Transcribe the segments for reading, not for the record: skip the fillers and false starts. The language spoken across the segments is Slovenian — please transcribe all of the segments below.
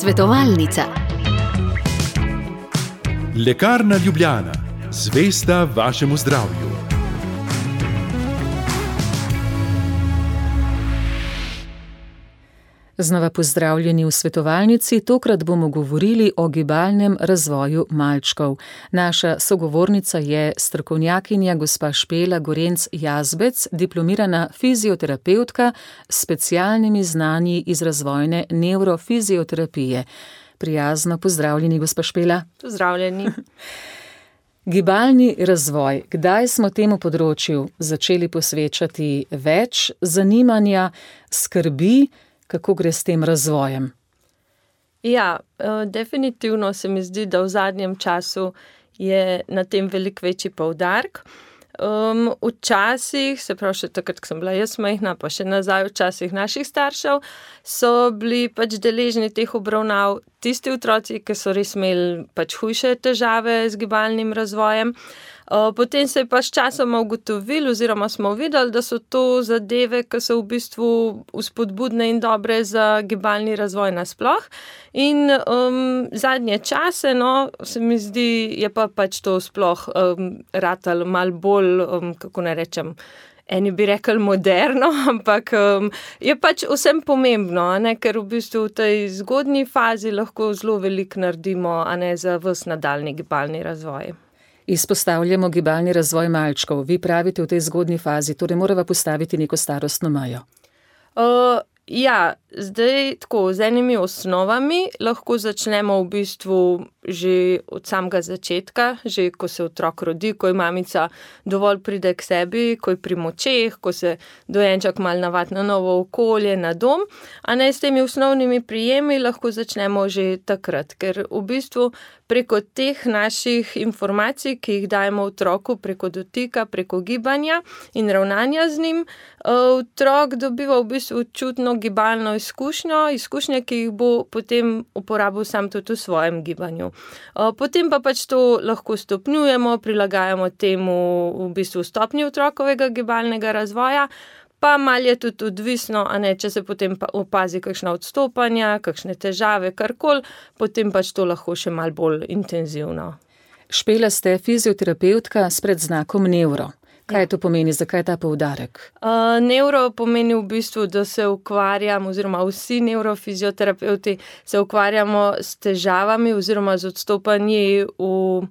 Svetovalnica. Lekarna Ljubljana, zvesta vašemu zdravju. Znova pozdravljeni v svetovalnici, tokrat bomo govorili o gibalnem razvoju malčkov. Naša sogovornica je strokovnjakinja gospa Špela Gorenc Jazbec, diplomirana fizioterapevtka s specialnimi znanji iz razvojne nevrofizioterapije. Prijazno pozdravljeni, gospa Špela. Pozdravljeni. Gibalni razvoj. Kdaj smo temu področju začeli posvečati več zanimanja, skrbi? Kako gre s tem razvojem? Ja, definitivno se mi zdi, da v zadnjem času je na tem veliko večji poudarek. Včasih, se pravi še takrat, ko sem bila jaz majhna, pa še nazaj v časih naših staršev, so bili pač deležni teh obravnav tisti otroci, ki so res imeli pač hujše težave z gibalnim razvojem. Potem se je pa s časoma ugotovili oziroma smo videli, da so to zadeve, ki so v bistvu vzpodbudne in dobre za gibalni razvoj nasploh. In zadnje čase, se mi zdi, je pa pač to sploh ratalo malo bolj, kako ne rečem, eni bi rekli moderno, ampak je pač vsem pomembno, ker v bistvu v tej zgodnji fazi lahko zelo veliko naredimo, za ves nadaljnji gibalni razvoj. Izpostavljamo gibalni razvoj malčkov. Vi pravite v tej zgodnji fazi, torej morava postaviti neko starostno mejo. Ja, zdaj tako, z enimi osnovami lahko začnemo v bistvu že od samega začetka, že ko se otrok rodi, ko je mamica dovolj pride k sebi, ko je pri močeh, ko se dojenček malo navadi na novo okolje, na dom, s temi osnovnimi prijemi lahko začnemo že takrat, ker v bistvu preko teh naših informacij, ki jih dajemo otroku preko dotika, preko gibanja in ravnanja z njim, otrok dobiva v bistvu čutno gibalno izkušnje, ki jih bo potem uporabil sam tudi v svojem gibanju. Potem pa pač to lahko stopnjujemo, prilagajamo temu v bistvu stopnji otrokovega gibalnega razvoja, pa malo je tudi odvisno, če se potem opazi kakšna odstopanja, kakšne težave, karkoli, potem pač to lahko še malo bolj intenzivno. Špela, ste fizioterapevtka s predznakom nevro. Kaj to pomeni, zakaj ta poudarek? Nevro pomeni v bistvu, da se ukvarjam, oziroma vsi nevrofizioterapevti se ukvarjamo s težavami oziroma z odstopanji v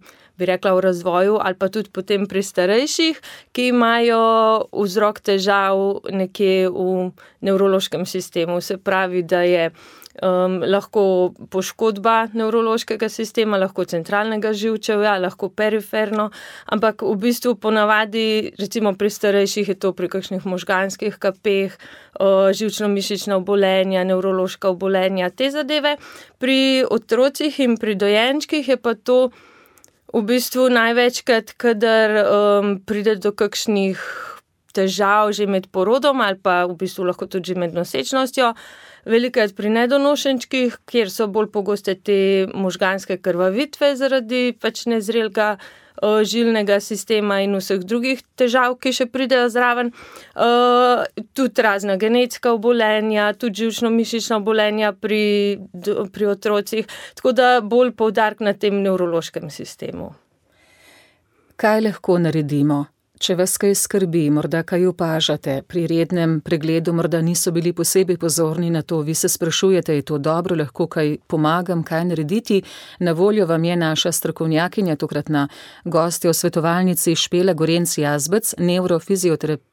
razvoju ali pa tudi potem pri starejših, ki imajo vzrok težav nekje v nevrološkem sistemu. Se pravi, da je lahko poškodba nevrološkega sistema, lahko centralnega živčevja, lahko periferno, ampak v bistvu ponavadi, recimo pri starejših je to pri kakšnih možganskih kapeh, živčno-mišična obolenja, nevrološka obolenja, te zadeve. Pri otrocih in pri dojenčkih je pa to v bistvu največkrat, kadar pride do kakšnih težav že med porodom ali pa v bistvu lahko tudi že med nosečnostjo, velikokrat pri nedonošenčkih, kjer so bolj pogoste te možganske krvavitve zaradi pač nezrelega žilnega sistema in vseh drugih težav, ki še pridejo zraven. Tudi razna genetska obolenja, tudi živčno-mišična obolenja pri otrocih, tako da bolj poudarek na tem nevrološkem sistemu. Kaj lahko naredimo? Če vas kaj skrbi, morda kaj opažate, pri rednem pregledu morda niso bili posebej pozorni na to, vi se sprašujete, je to dobro, lahko kaj pomagam, kaj narediti. Na voljo vam je naša strokovnjakinja, tokratna gostja v svetovalnici Špela Gorenc Jazbec, nevrofizioterapevtka.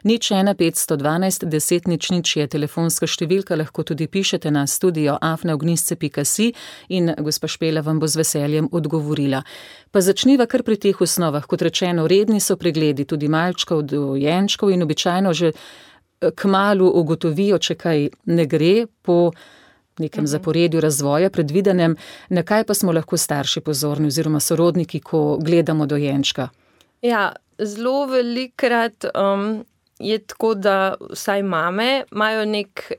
01512 10 00 je telefonska številka, lahko tudi pišete na studio@ognisce.si in gospa Špela vam bo z veseljem odgovorila. Pa začniva kar pri teh osnovah. Kot rečeno, redni so pregledi tudi malčkov, dojenčkov in običajno že kmalu ugotovijo, če kaj ne gre po nekem zaporedju razvoja predvidenem. Na kaj pa smo lahko starši pozorni oziroma sorodniki, ko gledamo dojenčka? Ja, zelo velikokrat je tako, da vsaj mame imajo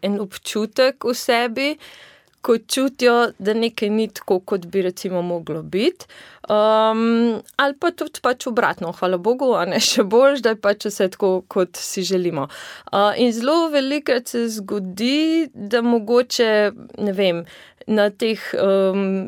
en občutek v sebi, ko čutijo, da nekaj ni tako, kot bi recimo moglo biti. Ali pa tudi pač obratno, hvala Bogu, še bolj, da je pač vse tako, kot si želimo. In zelo velikokrat se zgodi, da mogoče, na teh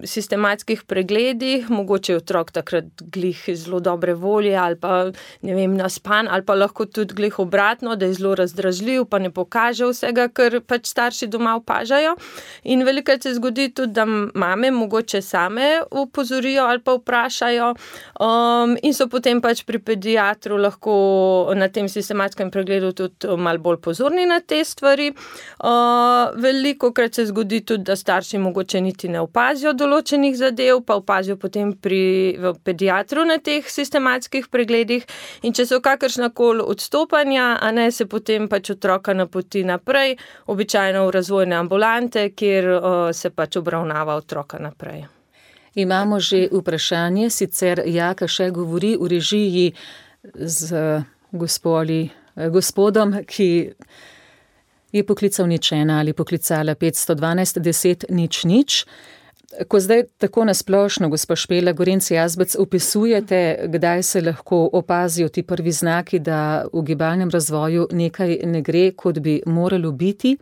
sistematskih pregledih, mogoče je otrok takrat glih zelo dobre volje ali pa, ne vem, naspan, ali pa lahko tudi glih obratno, da je zelo razdražljiv, pa ne pokaže vsega, kar pač starši doma opažajo. In velikokrat se zgodi tudi, da mame mogoče same opozorijo ali pa vprašajo, in so potem pač pri pediatru lahko na tem sistematskem pregledu tudi malo bolj pozorni na te stvari. Velikokrat se zgodi tudi, da starši mogoče niti ne opazijo določenih zadev, pa opazijo potem v pediatru na teh sistematskih pregledih. In če so kakršnakoli odstopanja, a ne, se potem pač otroka napoti naprej, običajno v razvojne ambulante, kjer se pač obravnava otroka naprej. Imamo že vprašanje, sicer Jaka še govori v režiji z gospodom, ki je poklical nič ena ali poklicala 512 10 000. Ko zdaj tako nasplošno, gospa Špela Gorenc Jazbec, opisujete, kdaj se lahko opazijo ti prvi znaki, da v gibalnem razvoju nekaj ne gre, kot bi moralo biti,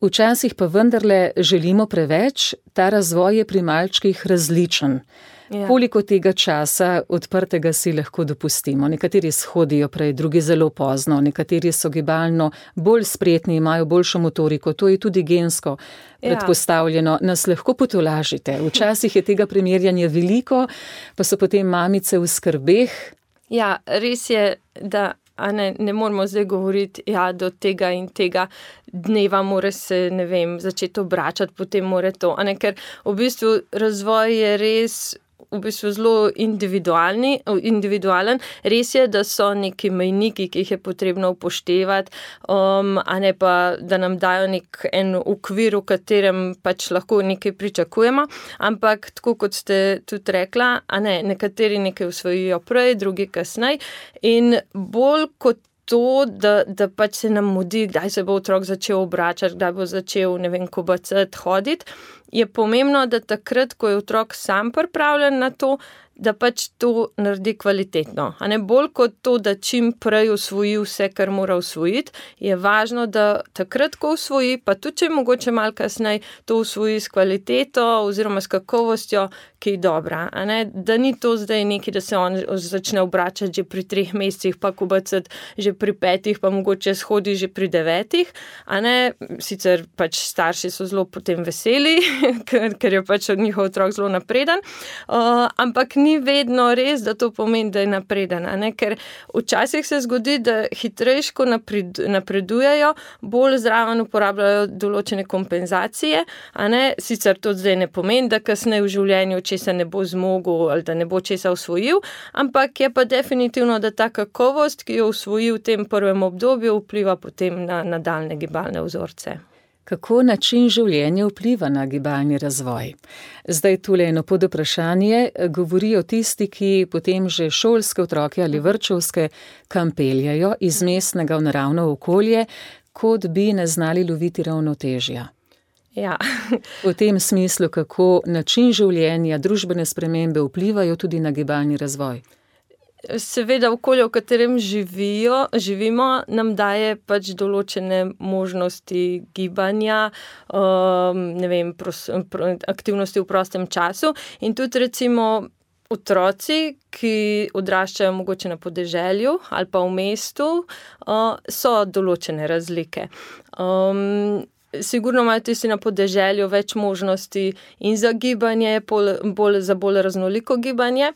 včasih pa vendarle želimo preveč, ta razvoj je pri malčkih različen. Ja. Koliko tega časa odprtega si lahko dopustimo? Nekateri shodijo prej, drugi zelo pozno, nekateri so gibalno bolj spretni, imajo boljšo motoriko, to je tudi gensko predpostavljeno. Nas lahko potolažite. Včasih je tega primerjanja veliko, pa so potem mamice v skrbeh. Ja, res je, da ne moramo zdaj govoriti, do tega in tega dneva mora se, ne vem, začeti obračati, potem mora to. Ker v bistvu razvoj je res v bistvu zelo individualen. Res je, da so neki mejniki, ki jih je potrebno upoštevati, a ne pa, da nam dajo en okvir, v katerem pač lahko nekaj pričakujemo, ampak tako kot ste tudi rekla, nekateri nekaj usvojijo prej, drugi kasneje, in bolj kot to, da pač se nam mudi, kdaj se bo otrok začel obračati, kdaj bo začel, ne vem, kobacati, hoditi, je pomembno, da takrat, ko je otrok sam pripravljen na to, da pač to naredi kvalitetno. Bolj kot to, da čim prej usvoji vse, kar mora usvojiti, je važno, da takrat, ko usvoji, pa tudi če mogoče malo kasneje, to usvoji s kvaliteto oziroma s kakovostjo, ki je dobra. Da ni to zdaj nekaj, da se on začne obračati že pri 3 mesecih, pa kobacati že pri 5, pa mogoče shodi že pri 9. Sicer pač starši so zelo potem veseli, ker je pač njihov otrok zelo napreden, ampak ni vedno res, da to pomeni, da je napreden, ker včasih se zgodi, da hitrejško napredujejo, bolj zraven uporabljajo določene kompenzacije, sicer to zdaj ne pomeni, da kasneje v življenju česa ne bo zmogel ali da ne bo česa usvojil, ampak je pa definitivno, da ta kakovost, ki jo usvoji v tem prvem obdobju, vpliva potem na nadaljne gibalne vzorce. Kako način življenja vpliva na gibalni razvoj? Zdaj tule eno podvprašanje, govorijo tisti, ki potem že šolske otroke ali vrtčevske kam peljajo iz mestnega v naravno okolje, kot bi ne znali loviti ravnotežja. Ja. V tem smislu, kako način življenja, družbene spremembe vplivajo tudi na gibalni razvoj. Seveda okolje, v katerem živimo, nam daje pač določene možnosti gibanja, ne vem, aktivnosti v prostem času, in tudi recimo otroci, ki odraščajo mogoče na podeželju ali pa v mestu, so določene razlike. Sigurno imajo tisti na podeželju več možnosti in za gibanje, za bolj raznoliko gibanje.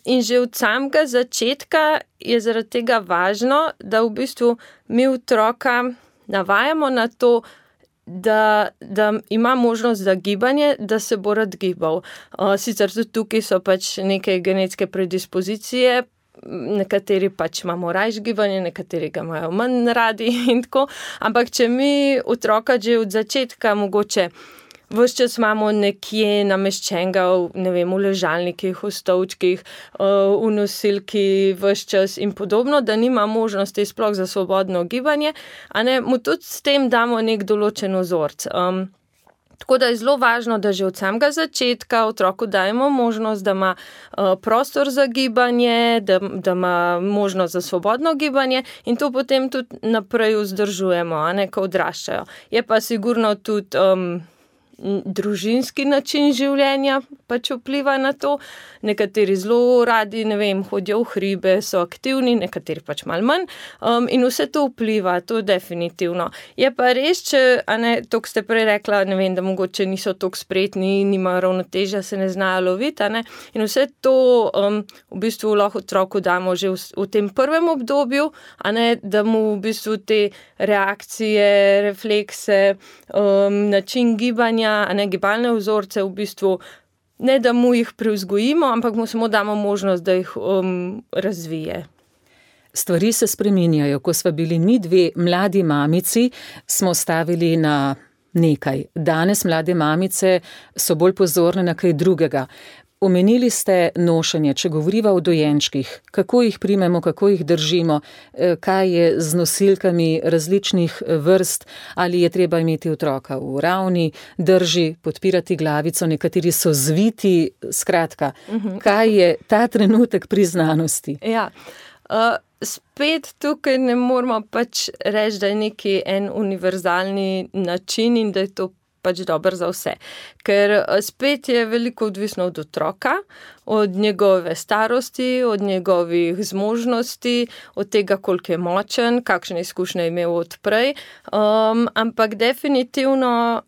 In že od samega začetka je zaradi tega važno, da v bistvu mi otroka navajamo na to, da ima možnost za gibanje, da se bo rad gibal. Sicer tudi tukaj so pač neke genetske predispozicije, nekateri pač imamo rajš gibanje, nekateri ga imajo manj radi in tako, ampak če mi otroka že od začetka mogoče ves čas imamo nekje nameščenega, ne vem, v ležalnikih, v stolčkih, v nosilki ves čas in podobno, da nima možnosti sploh za svobodno gibanje, mu tudi s tem damo nek določen vzorec. Tako da je zelo važno, da že od samega začetka otroku dajemo možnost, da ima prostor za gibanje, da ima možnost za svobodno gibanje, in to potem tudi naprej vzdržujemo, ko odraščajo. Je pa sigurno tudi družinski način življenja pač vpliva na to. Nekateri zelo radi, hodijo v hribe, so aktivni, nekateri pač malo manj. In vse to vpliva, to definitivno. Je pa res, to ste prej rekla, da mogoče niso toliko spretni, nimajo ravnotežja, se ne znajo loviti, in vse to v bistvu lahko otroku damo že v tem prvem obdobju, da mu v bistvu te reakcije, reflekse, način gibanja, gibalne vzorce v bistvu ne da mu jih privzgojimo, ampak mu samo damo možnost, da jih razvije. Stvari se spreminjajo. Ko sva bili mi dve mladi mamici, smo stavili na nekaj. Danes mlade mamice so bolj pozorne na kaj drugega. Omenili ste nošenje, če govoriva o dojenčkih, kako jih primemo, kako jih držimo, kaj je z nosilkami različnih vrst, ali je treba imeti otroka v ravni drži, podpirati glavico, nekateri so zviti, skratka, kaj je ta trenutek pri znanosti? Ja, spet tukaj ne moramo pač reči, da je neki en univerzalni način in da je to pač dober za vse. Ker spet je veliko odvisno od otroka, od njegove starosti, od njegovih zmožnosti, od tega, koliko je močen, kakšne izkušnje je imel odprej. Ampak definitivno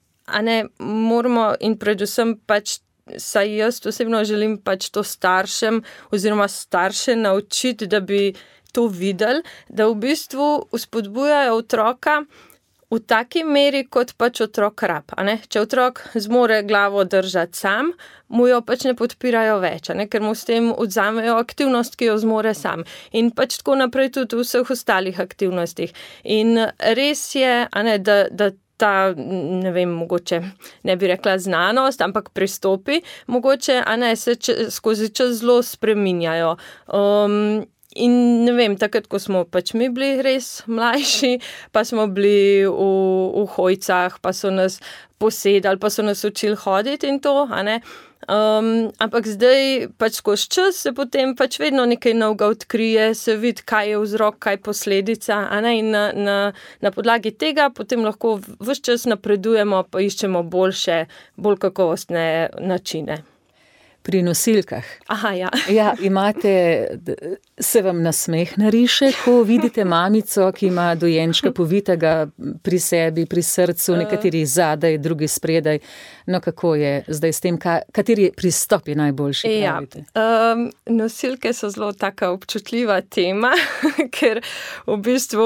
moramo in predvsem pač, saj jaz osebno želim pač to staršem oziroma starše naučiti, da bi to videli, da v bistvu vzpodbujajo otroka v taki meri, kot pač otrok rab. Če otrok zmore glavo držati sam, mu jo pač ne podpirajo več, ker mu s tem odzamejo aktivnost, ki jo zmore sam. In pač tako naprej tudi v vseh ostalih aktivnostih. In res je, da ta, mogoče ne bi rekla znanost, ampak pristopi, mogoče se skozi čas zelo spreminjajo. In takrat, ko smo pač mi bili res mlajši, pa smo bili v hojcah, pa so nas posedali, pa so nas učili hoditi in to, ampak zdaj pač skozi čas se potem pač vedno nekaj novega odkrije, se vidi, kaj je vzrok, kaj je posledica, in na podlagi tega potem lahko ves čas napredujemo, pa iščemo boljše, bolj kakovostne načine. Pri nosilkah. Aha, ja. Ja, se vam nasmeh nariše, ko vidite mamico, ki ima dojenčka povitega pri sebi, pri srcu, nekateri zadaj, drugi spredaj. No, kako je zdaj s tem, kateri pristop je najboljši, pravite? Ja, nosilke so zelo taka občutljiva tema, ker v bistvu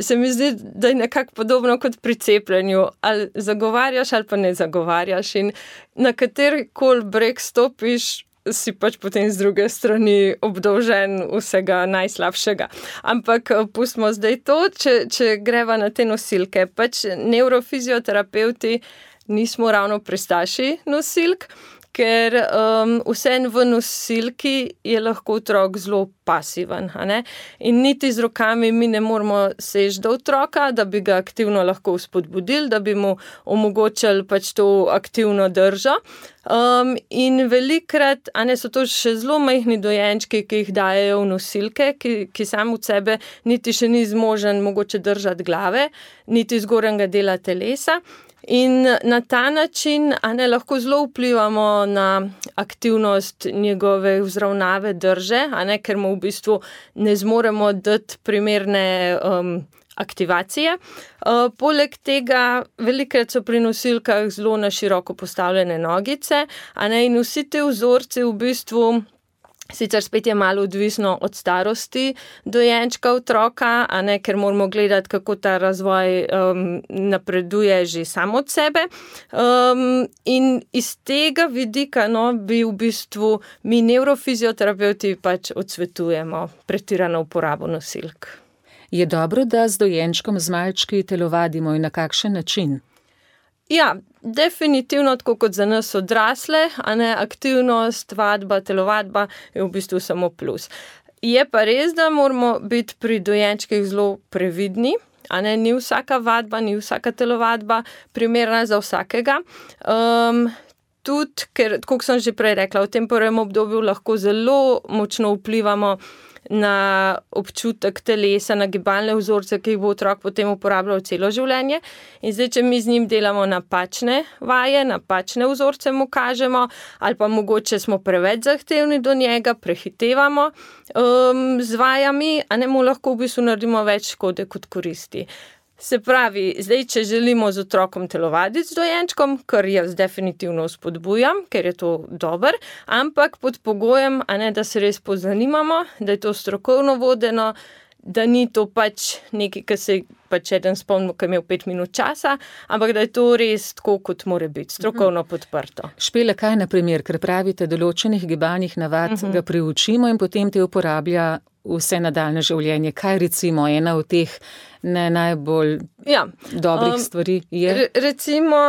se mi zdi, da je nekako podobno kot pri cepljenju. Ali zagovarjaš ali pa ne zagovarjaš. In na katerikoli breg stopiš, si pač potem z druge strani obdolžen vsega najslabšega. Ampak pustimo zdaj to, če greva na te nosilke. Pač nevrofizioterapevti nismo ravno pristaši nosilk, ker vseeno v nosilki je lahko otrok zelo pasiven. In niti z rokami mi ne moramo seči do otroka, da bi ga aktivno lahko spodbudili, da bi mu omogočili pač to aktivno držo. In velikrat so to še zelo majhni dojenčki, ki jih dajejo v nosilke, ki sam od sebe niti še ni zmožen mogoče držati glave, niti zgornjega dela telesa. In na ta način lahko zelo vplivamo na aktivnost njegove vzravnave drže, ker mu v bistvu ne zmoremo dati primerne aktivacije. Poleg tega, velikrat so pri nosilkah zelo na široko postavljene nogice, in vsi te vzorci v bistvu, sicer spet je malo odvisno od starosti dojenčka otroka, ker moramo gledati, kako ta razvoj napreduje že sam od sebe. In iz tega vidika bi v bistvu mi nevrofizioterapevti pač odsvetujemo pretirano uporabo nosilk. Je dobro, da z dojenčkom z malčki telovadimo in na kakšen način? Ja, definitivno tako kot za nas odrasle, aktivnost, vadba, telovadba je v bistvu samo plus. Je pa res, da moramo biti pri dojenčkih zelo previdni, ni vsaka vadba, ni vsaka telovadba primerna za vsakega. Tudi, ker, tako sem že prej rekla, v tem prvem obdobju lahko zelo močno vplivamo na občutek telesa, na gibalne vzorce, ki jih bo otrok potem uporabljal celo življenje. In zdaj, če mi z njim delamo napačne vaje, napačne vzorce mu kažemo, ali pa mogoče smo preveč zahtevni do njega, prehitevamo z vajami, a ne mu lahko v bistvu naredimo več škode kot koristi. Se pravi, zdaj, če želimo z otrokom telovaditi z dojenčkom, kar jaz definitivno spodbujam, ker je to dober, ampak pod pogojem, a ne, da se res pozanimamo, da je to strokovno vodeno, da ni to pač nekaj, ki se pač eden spomnil, ki je imel 5 minut časa, ampak da je to res tako, kot mora biti, strokovno podprto. Špela, kaj na primer, ker pravite, določenih gibalnih navad ga priučimo in potem te uporablja vse nadaljne življenje. Kaj recimo ena od teh ne najbolj dobrih stvari je? Recimo,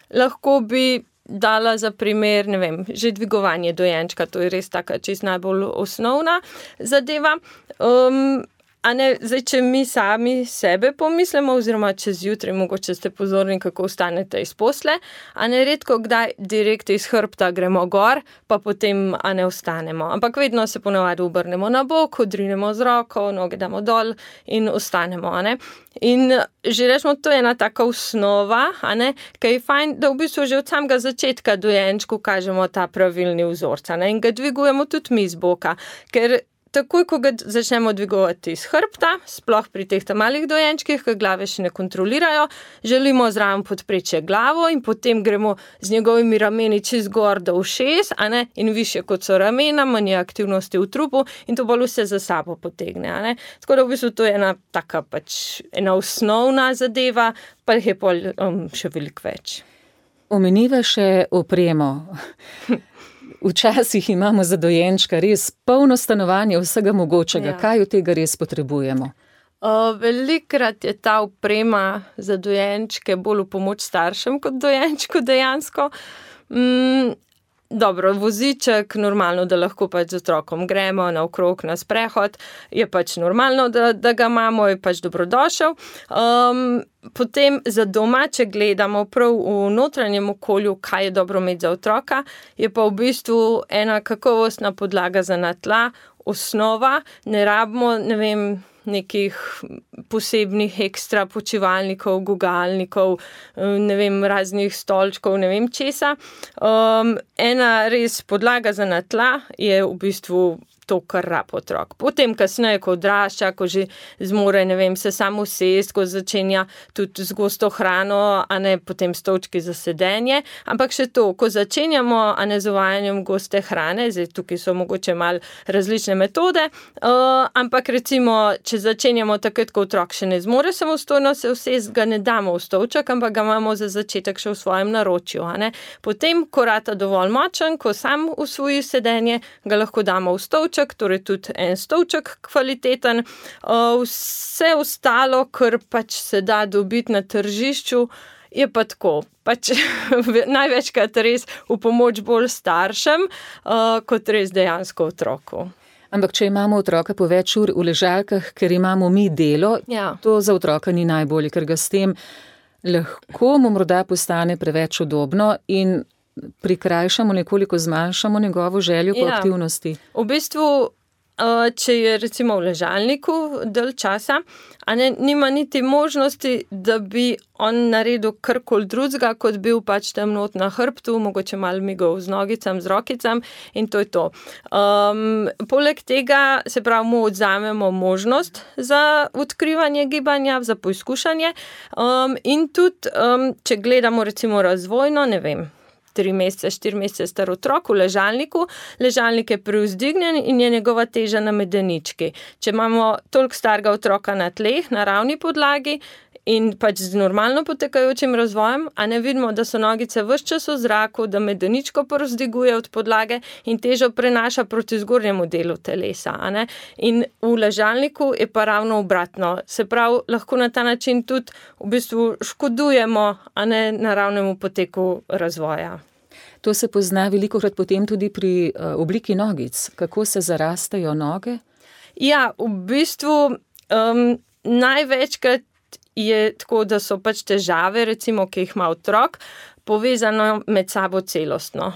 lahko bi dala za primer, ne vem, že dvigovanje dojenčka, to je res taka čist najbolj osnovna zadeva. A ne, zdaj, če mi sami sebe pomislimo, oziroma čez jutri, mogoče ste pozorni, kako vstanete iz posle, a ne redko kdaj direkt iz hrbta gremo gor, pa potem a ne vstanemo. Ampak vedno se ponavadi obrnemo na bok, odrinemo z roko, noge damo dol in vstanemo, a ne. In že rečemo, to je ena taka osnova, a ne, ki je fajn, da v bistvu že od samega začetka dojenčku kažemo ta pravilni vzorc, a ne, in ga dvigujemo tudi mi z boka, ker takoj, ko ga začnemo dvigovati iz hrbta, sploh pri teh malih dojenčkih, ki glave še ne kontrolirajo, želimo zraven podpreči glavo in potem gremo z njegovimi rameni čez gor do ušes, a ne, in višje kot so ramena, manj aktivnosti v trupu in to bolj vse za sabo potegne, a ne. Tako da v bistvu to je ena taka pač ena osnovna zadeva, pa jih je pol še veliko več. Omeniva še opremo. Včasih imamo za dojenčka res polno stanovanje vsega mogočega. Ja. Kaj od tega res potrebujemo? Velikrat je ta oprema za dojenčke bolj v pomoč staršem kot dojenčku dejansko. Dobro, voziček, normalno, da lahko pač z otrokom gremo naokrog na sprehod, je pač normalno, da ga imamo, je pač dobrodošel. Potem za doma, če gledamo prav v notranjem okolju, kaj je dobro imeti za otroka, je pa v bistvu ena kakovostna podlaga za na tla, osnova, ne rabimo, ne vem, nekih posebnih ekstra počivalnikov, gugalnikov, ne vem, raznih stolčkov, ne vem česa. Ena res podlaga za na tla je v bistvu to, kar rab otrok. Potem kasneje, ko odrašča, ko že zmore, ne vem, se sam usest, ko začenja tudi z gosto hrano, a ne potem stolčki za sedenje. Ampak še to, ko začenjamo, a ne z uvajanjem goste hrane, zdaj tukaj so mogoče malo različne metode, ampak recimo, če začenjamo takrat, ko otrok še ne zmore samostojno se usest, ga ne damo v stolček, ampak ga imamo za začetek še v svojem naročju, a ne. Potem, ko rata dovolj močen, ko sam usvoji sedenje, ga lahko damo v stolček, torej tudi en stolček kvaliteten. Vse ostalo, kar pač se da dobiti na tržišču, je pa tako, pač največkrat res v pomoč bolj staršem, kot res dejansko otroku. Ampak če imamo otroka po več ur v ležalkah, ker imamo mi delo, to za otroka ni najbolje, ker ga s tem lahko mu morda postane preveč udobno in prikrajšamo, nekoliko zmanjšamo njegovo željo po aktivnosti. V bistvu, če je recimo v ležalniku dalj časa, a ne, nima niti možnosti, da bi on naredil karkoli drugega, kot bil pač tam not na hrbtu, mogoče malo migov z nogicam, z rokicam in to je to. Poleg tega, se pravi, mu odzamemo možnost za odkrivanje gibanja, za poizkušanje in tudi, če gledamo recimo razvojno, ne vem, 3 mesece, 4 mesece star otrok v ležalniku, ležalnik je privzdignjen in je njegova teža na medenički. Če imamo toliko starega otroka na tleh, na ravni podlagi in pač z normalno potekajočim razvojem, a ne vidimo, da so nogice ves čas v zraku, da medeničko privzdiguje od podlage in težo prenaša proti zgornjemu delu telesa, a ne. In v ležalniku je pa ravno obratno. Se pravi, lahko na ta način tudi v bistvu škodujemo, a ne, naravnemu poteku razvoja. To se pozna velikokrat potem tudi pri obliki nogic. Kako se zarastejo noge? Ja, v bistvu največkrat je tako, da so pač težave, recimo, ki jih ima otrok, povezano med sabo celostno.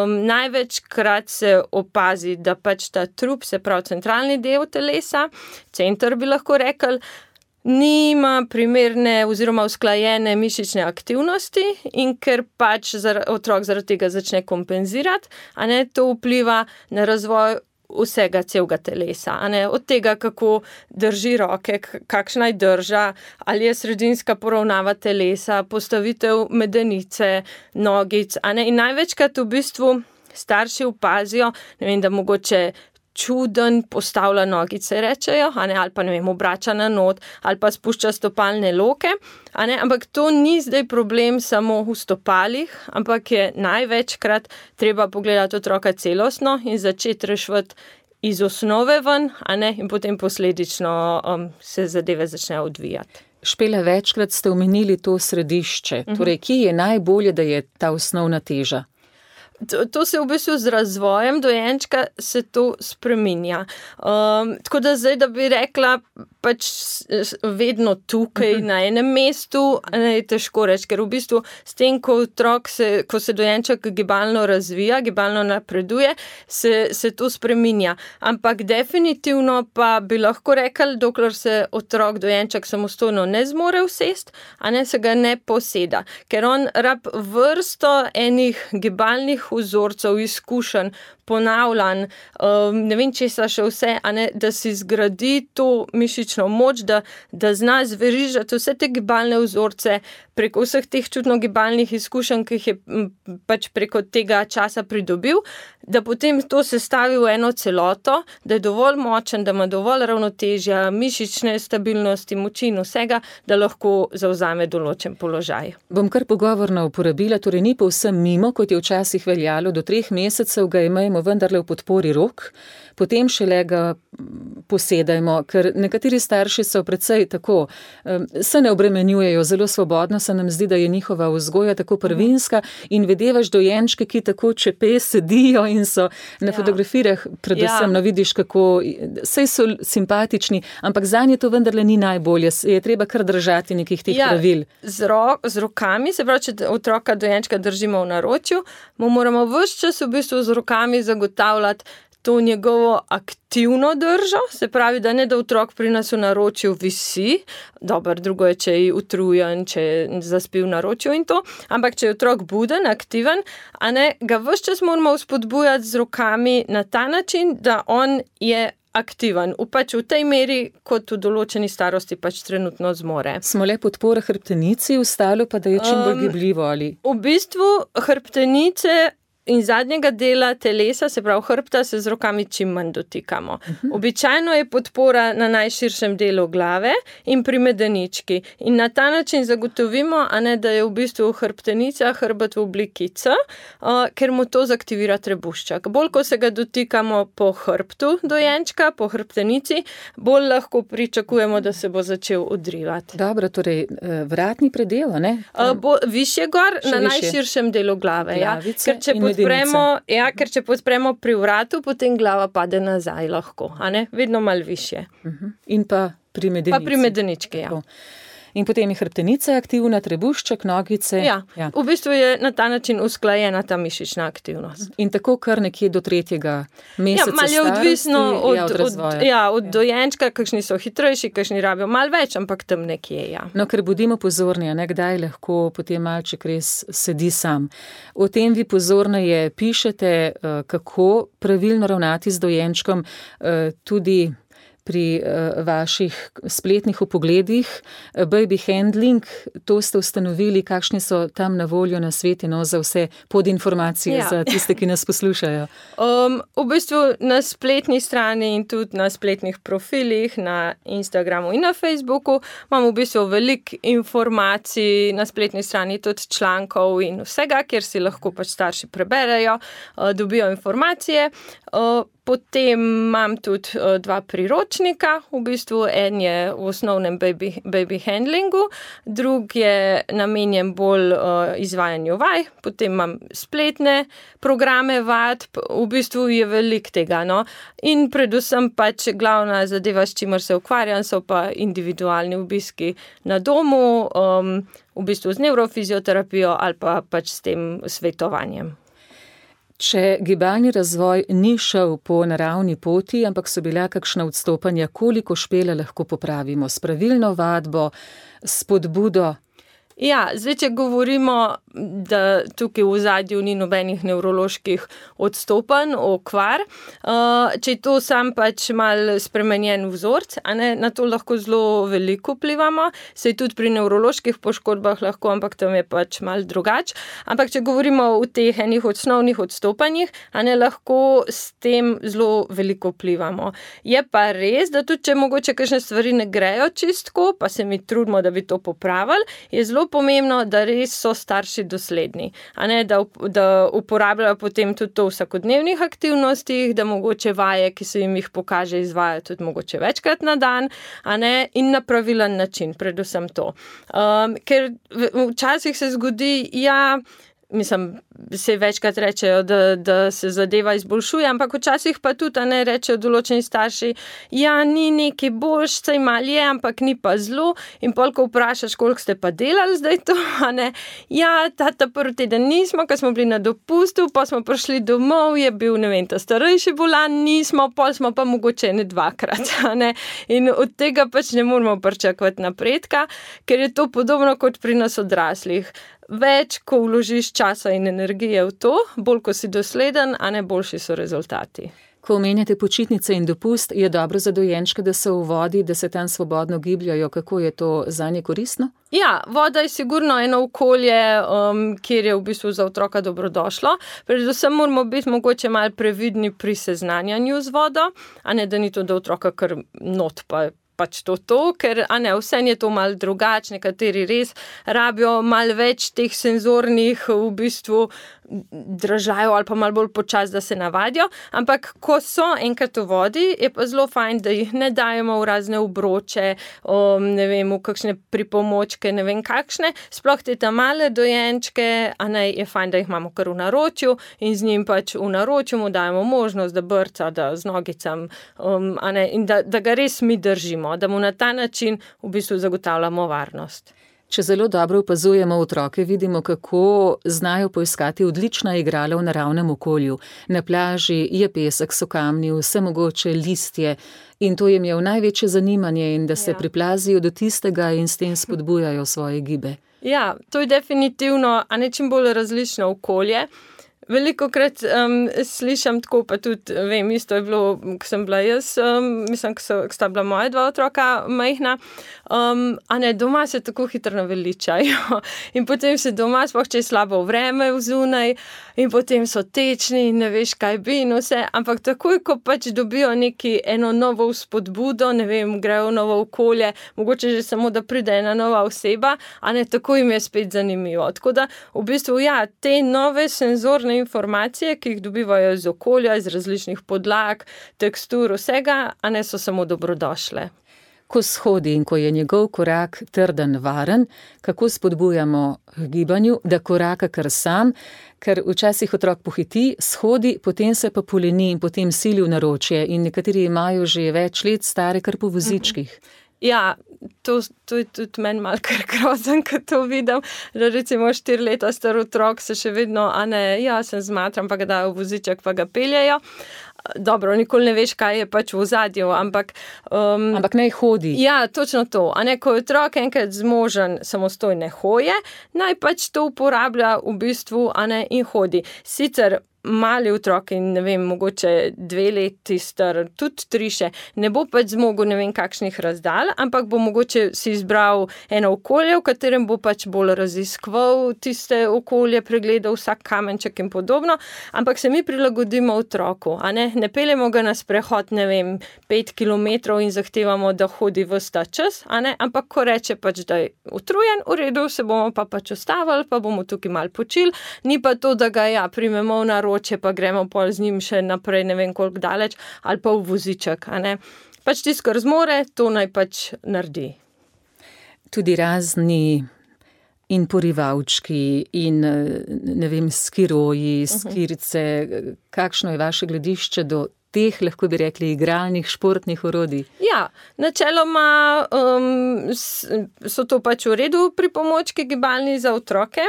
Največkrat se opazi, da pač ta trup, se pravi centralni del telesa, center bi lahko rekli, nima primerne oziroma usklajene mišične aktivnosti in ker pač otrok zaradi tega začne kompenzirati, to vpliva na razvoj vsega celega telesa. Od tega, kako drži roke, kakšna je drža, ali je sredinska poravnava telesa, postavitev medenice, nogic. In največkrat v bistvu starši opazijo, da mogoče čuden postavlja nogice, rečejo, ali pa obrača na not, ali pa spušča stopalne loke, ampak to ni zdaj problem samo v stopalih, ampak je največkrat treba pogledati otroka celostno in začeti reševati iz osnove ven, in potem posledično se zadeve začnejo odvijati. Špela, večkrat ste omenili to središče, torej kje je najbolje, da je ta osnovna teža? To se v bistvu z razvojem dojenčka se to spreminja. Tako da zdaj, da bi rekla, pač vedno tukaj na enem mestu, je težko reči, ker v bistvu s tem, ko se dojenček gibalno razvija, gibalno napreduje, se to spreminja. Ampak definitivno pa bi lahko rekli, dokler se dojenček samostojno ne zmore usesti, se ga ne poseda. Ker on rab vrsto enih gibalnih vzorcev, izkušenj, ponavljanj, ne vem česa še vse, da si zgradi to mišično moč, da zna zverižati vse te gibalne vzorce preko vseh teh čutno-gibalnih izkušenj, ki jih je pač preko tega časa pridobil, da potem to sestavi v eno celoto, da je dovolj močen, da ima dovolj ravnotežja, mišične stabilnosti, moči in vsega, da lahko zavzame določen položaj. Bom kar pogovorno uporabila, torej ni povsem mimo, kot je včasih veljalo, do 3 mesecev ga imejmo vendarle v podpori rok, potem šele ga posedajmo, ker nekateri starši so precej tako, se ne obremenjujejo, zelo svobodno se nam zdi, da je njihova vzgoja tako prvinska in videvaš dojenčke, ki tako čepe sedijo in so na fotografijah predvsem, vidiš kako, saj so simpatični, ampak zanje to vendarle ni najbolje, je treba kar držati nekih teh pravil. Z rokami, se pravi, če otroka dojenčka držimo v naročju, mu moramo ves čas v bistvu z rokami zagotavljati to njegovo aktivno držo, se pravi, da ne da otrok pri nas v naročju visi, drugo je, če je utrujen, če je zaspil v naročju in to, ampak če je otrok buden, aktiven, ga ves čas moramo vzpodbujati z rokami na ta način, da on je aktiven, pač v tej meri, kot v določeni starosti pač trenutno zmore. Smo le podpora hrbtenici, ostalo pa da je čim bolj gibljivo, ali? V bistvu hrbtenice in zadnjega dela telesa, se pravi hrbta, se z rokami čim manj dotikamo. Običajno je podpora na najširšem delu glave in pri medenički. In na ta način zagotovimo, da je v bistvu hrbtenica hrbet v obliki C, ker mu to zaktivira trebušček. Bolj, ko se ga dotikamo po hrbtu dojenčka, po hrbtenici, bolj lahko pričakujemo, da se bo začel odrivati. Dobro, torej vratni predel, ne? Višje gor, na najširšem delu glave. Ker če podpremo pri vratu, potem glava pade nazaj lahko, vedno malo višje. In pa pri medenici. Pa pri medenički, In potem je hrbtenica aktivna, trebušček, nogice. V bistvu je na ta način usklajena ta mišična aktivnost. In tako kar nekje do 3. meseca starosti. Je odvisno od razvoja. Od dojenčka, kakšni so hitrejši, kakšni rabijo malo več, ampak tam nekje, No, ker bodimo pozorni, kdaj lahko potem malček res sedi sam. O tem vi pozorneje pišete, kako pravilno ravnati z dojenčkom, tudi pri vaših spletnih vpogledih, baby handling, to ste ustanovili, kakšni so tam na voljo na sveti, za vse podinformacije za tiste, ki nas poslušajo? V bistvu na spletni strani in tudi na spletnih profilih, na Instagramu in na Facebooku imamo v bistvu veliko informacij, na spletni strani tudi člankov in vsega, kjer si lahko pač starši preberejo, dobijo informacije. Potem imam tudi 2 priročnika, v bistvu en je v osnovnem baby handlingu, drug je namenjen bolj izvajanju vaj, potem imam spletne programe vadb, v bistvu je veliko tega, no. In predvsem pač glavna zadeva, s čimer se ukvarjam, so pa individualni obiski na domu, v bistvu z nevrofizioterapijo ali pa pač s tem svetovanjem. Če gibalni razvoj ni šel po naravni poti, ampak so bila kakšna odstopanja, koliko Špela lahko popravimo s pravilno vadbo, s spodbudo? Ja, zdaj, če govorimo, da tukaj v ozadju ni nobenih nevroloških odstopanj, okvar, če je to sam pač mal spremenjen vzorc, a ne, na to lahko zelo veliko vplivamo, saj tudi pri nevroloških poškodbah lahko, ampak tam je pač mal drugače. Ampak če govorimo o teh enih osnovnih odstopanjih, a ne, lahko s tem zelo veliko vplivamo. Je pa res, da tudi če mogoče kakšne stvari ne grejo čistko, pa se mi trudimo, da bi to popravili, je zelo pomembno, da res so starši dosledni, a ne, da uporabljajo potem tudi to v vsakodnevnih aktivnostih, da mogoče vaje, ki se jim jih pokaže, izvajajo tudi mogoče večkrat na dan, a ne, in na pravilen način, predvsem to. Ker včasih se zgodi, se večkrat rečejo, da se zadeva izboljšuje, ampak včasih pa tudi, a ne, rečejo določeni starši, ni neki boljš, saj mal je, ampak ni pa zelo, in pol, ko vprašaš, koliko ste pa delali zdaj to, a ne, ta prvi teden nismo, ko smo bili na dopustu, pa smo prišli domov, je bil, ne vem, ta starejši bolan, nismo, pol smo pa mogoče ne 2-krat, a ne, in od tega pač ne moramo pričakovati napredka, ker je to podobno kot pri nas odraslih. Več, ko vložiš časa in energije v to, bolj, ko si dosleden, a ne, boljši so rezultati. Ko omenjate počitnice in dopust, je dobro za dojenčke, da so v vodi, da se tam svobodno gibljajo. Kako je to zanje koristno? Ja, voda je sigurno eno okolje, kjer je v bistvu za otroka dobrodošlo. Predvsem moramo biti mogoče malo previdni pri seznanjanju z vodo, a ne, da ni to, da otroka kar not pač to, ker, a ne, vseeno je to malo drugače, nekateri res rabijo malo več teh senzornih v bistvu dražajo ali pa malo bolj počas, da se navadijo, ampak ko so enkrat v vodi, je pa zelo fajn, da jih ne dajemo v razne obroče, ne vem, v kakšne pripomočke, ne vem kakšne, sploh te tam male dojenčke, a ne, je fajn, da jih imamo kar v naročju in z njim pač v naročju mu dajemo možnost, da brca, da z nogicam, a ne, in da ga res mi držimo, da mu na ta način v bistvu zagotavljamo varnost. Če zelo dobro opazujemo otroke, vidimo, kako znajo poiskati odlična igrala v naravnem okolju. Na plaži je pesek, so kamni, vse mogoče listje in to jim je v največje zanimanje in da se priplazijo do tistega in s tem spodbujajo svoje gibe. Ja, to je definitivno, a ne čim bolj različno okolje. Velikokrat slišam tako, pa tudi vem, isto je bilo, ko sem bila jaz, mislim, ko sta bila moja 2 otroka majhna, a ne, doma se tako hitro naveličajo in potem se doma, sploh če je slabo vreme vzunaj in potem so tečni in ne veš, kaj bi in vse, ampak takoj, ko pač dobijo eno novo vzpodbudo, ne vem, grejo v novo okolje, mogoče že samo, da pride ena nova oseba, a ne, tako jim je spet zanimivo. Tako da, v bistvu, te nove senzorne informacije, ki jih dobivajo iz okolja, iz različnih podlag, tekstur, vsega, a ne, so samo dobrodošle. Ko shodi in ko je njegov korak trden, varen, kako spodbujamo k gibanju, da koraka kar sam, ker včasih otrok pohiti, shodi, potem se pa poleni in potem sili v naročje in nekateri imajo že več let stare kar po vozičkih. Ja, to je tudi meni malo kar grozen, ko to vidim, da recimo 4 leta star otrok se še vedno, a ne, se zmatram, pa ga dajo v voziček, pa ga peljejo. Dobro, nikoli ne veš, kaj je pač v ozadju, ampak... Ampak naj hodi. Ja, točno to. A ne, ko je otrok enkrat zmožen samostojne hoje, naj pač to uporablja v bistvu, a ne, in hodi. Sicer mali otrok in, ne vem, mogoče 2 leti star, tudi 3 še, ne bo pač zmogel ne vem kakšnih razdalj, ampak bo mogoče si izbral eno okolje, v katerem bo pač bolj raziskoval tiste okolje, pregledal vsak kamenček in podobno, ampak se mi prilagodimo otroku, a ne peljemo ga na sprehod, ne vem, 5 kilometrov in zahtevamo, da hodi ves ta čas, a ne, ampak ko reče pač, da je utrujen, v redu, se bomo pa pač ustavili, pa bomo tukaj malo počili, ni pa to, da ga primemo v naročje vroče, pa gremo pol z njim še naprej, ne vem koliko daleč, ali pa v voziček, a ne. Pač tisto, kar zmore, to naj pač naredi. Tudi razni in porivalčki in, ne vem, skiroji, skirice, kakšno je vaše gledišče do teh, lahko bi rekli, igralnih, športnih orodij? Ja, načeloma so to pač v redu pripomočki gibalni za otroke.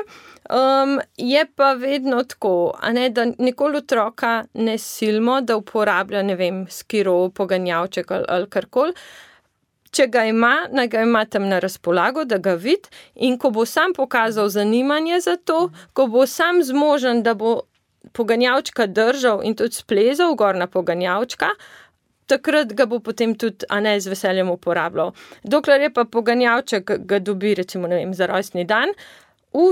Je pa vedno tako, a ne, da nikoli otroka ne silimo, da uporablja, ne vem, skiro, poganjavček ali karkoli. Če ga ima, naj ga ima tam na razpolago, da ga vidi, in ko bo sam pokazal zanimanje za to, ko bo sam zmožen, da bo poganjavčka držal in tudi splezal gor na poganjavčka, takrat ga bo potem tudi, a ne, z veseljem uporabljal. Dokler je pa poganjavček, ga dobi, recimo, ne vem, za rojstni dan,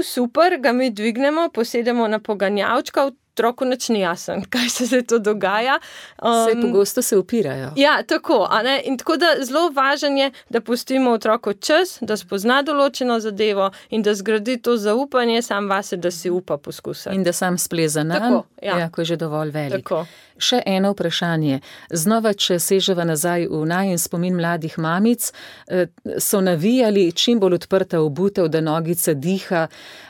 super, ga mi dvignemo, posedemo na poganjavčka, otroku nič ni jasen, kaj se to dogaja. Saj pogosto se upirajo. Ja, tako, a ne, in tako da zelo važen je, da pustimo otroku čas, da spozna določeno zadevo in da zgradi to zaupanje sam vase, da si upa poskusiti. In da sam spleza nanj, ko je že dovolj velik. Tako. Še eno vprašanje. Znova, če seževa nazaj v najin spomin mladih mamic, so navijali čim bolj odprta obutev, da nogica diha,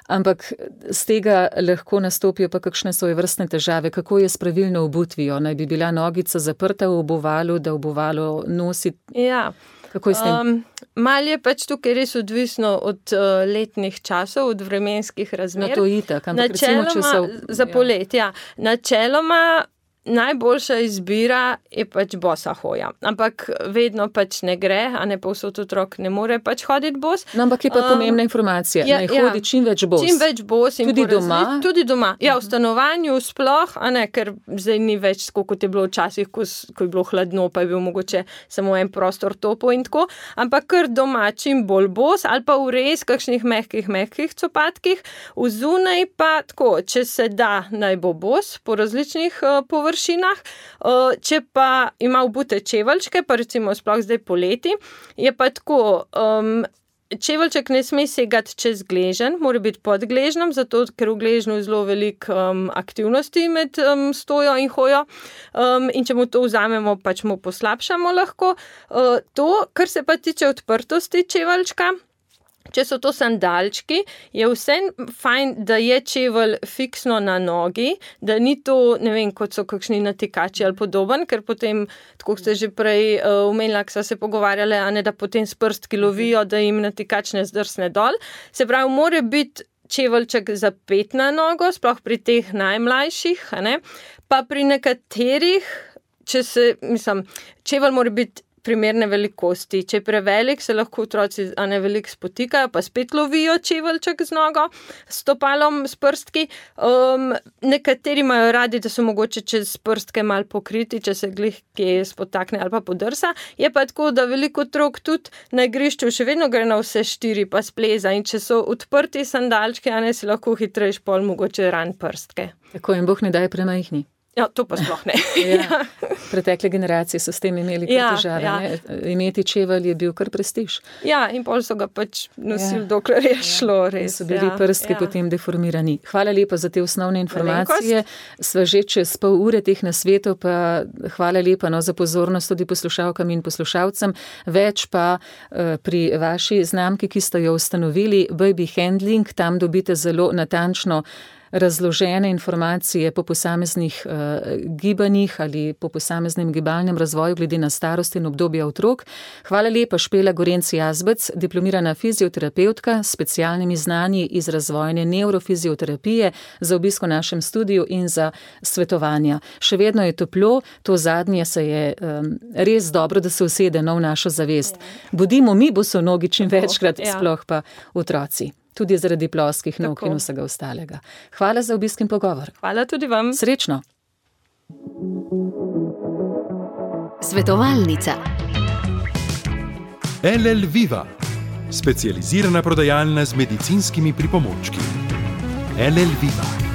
ampak z tega lahko nastopijo pa kakšne svojevrstne težave. Kako je s pravilno obutvijo? Naj bi bila nogica zaprta v obuvalu, da obuvalo nosi? Ja. Kako je s tem? Mal je pač tukaj res odvisno od letnih časov, od vremenskih razmer. No, to itak, ampak recimo, če so... Za polet, ja. Načeloma najboljša izbira je pač bosa hoja. Ampak vedno pač ne gre, a ne povsod otrok ne more pač hoditi bos. No, ampak je pa pomembna informacija. Naj hodi čim več bos. Čim več bos. Tudi doma? Tudi doma. Ja, v stanovanju sploh, a ne, ker zdaj ni več tako, kot je bilo včasih, ko je bilo hladno, pa je bil mogoče samo en prostor topo in tako. Ampak kar doma čim bolj bos, ali pa v res kakšnih mehkih copatkih, v zunaj pa tako, če se da, naj bo bos po različnih površinah. Če pa ima obute čeveljčke, pa recimo sploh zdaj poleti, je pa tako, čeveljček ne sme segati čez gležen, mora biti pod gležnom, zato ker v gležnu je zelo veliko aktivnosti med stojo in hojo, in če mu to vzamemo, pač mu poslabšamo lahko. To, kar se pa tiče odprtosti čeveljčka, če so to sandalčki, je vse fajn, da je čevelj fiksno na nogi, da ni to, ne vem, kot so kakšni natikači ali podoben, ker potem, tako ste že prej omenila, ko so se pogovarjali, a ne, da potem s prstki lovijo, da jim natikač ne zdrsne dol. Se pravi, mora biti čeveljček zapet na nogo, sploh pri teh najmlajših, a ne, pa pri nekaterih, čevelj mora biti primerne velikosti. Če je prevelik, se lahko otroci veliko spotikajo, pa spet lovijo čeveljček z nogo, s stopalom, s prstki. Nekateri imajo radi, da so mogoče čez prstke malo pokriti, če se glih kje spotakne ali pa podrsa. Je pa tako, da veliko otrok tudi na igrišču še vedno gre na vse štiri, pa spleza. In če so odprti sandalčki, si lahko hitrejš pol mogoče ran prstke. Tako, in Bog ne daj premajhni. Ja, to pa sploh ne. Ja. Pretekle generacije so s tem imeli kar težave. Ja. Imeti čevelj je bil kar prestiž. Ja, in pol so ga pač nosili, dokler je šlo res. So bili prstki potem deformirani. Hvala lepa za te osnovne informacije. Sva že čez pol ure teh nasvetov, pa hvala lepa za pozornost tudi poslušalkam in poslušalcem. Več pa pri vaši znamki, ki ste jo ustanovili, Baby Handling, tam dobite zelo natančno razložene informacije po posameznih gibanjih ali po posameznem gibalnem razvoju glede na starost in obdobje otrok. Hvala lepa Špela Gorenc-Jazbec, diplomirana fizioterapevtka s specialnimi znanji iz razvojne neurofizioterapije, za obisk v našem studiu in za svetovanja. Še vedno je toplo, to zadnje se je res dobro, da se usede v našo zavest. Budimo mi bosonogi čim večkrat, sploh pa otroci. Tudi zaradi ploskih nog in vsega ostalega. Hvala za obisk in pogovor. Hvala tudi vam. Srečno. Svetovalnica. LL Viva, specializirana prodajalna z medicinskimi pripomočki. LL Viva.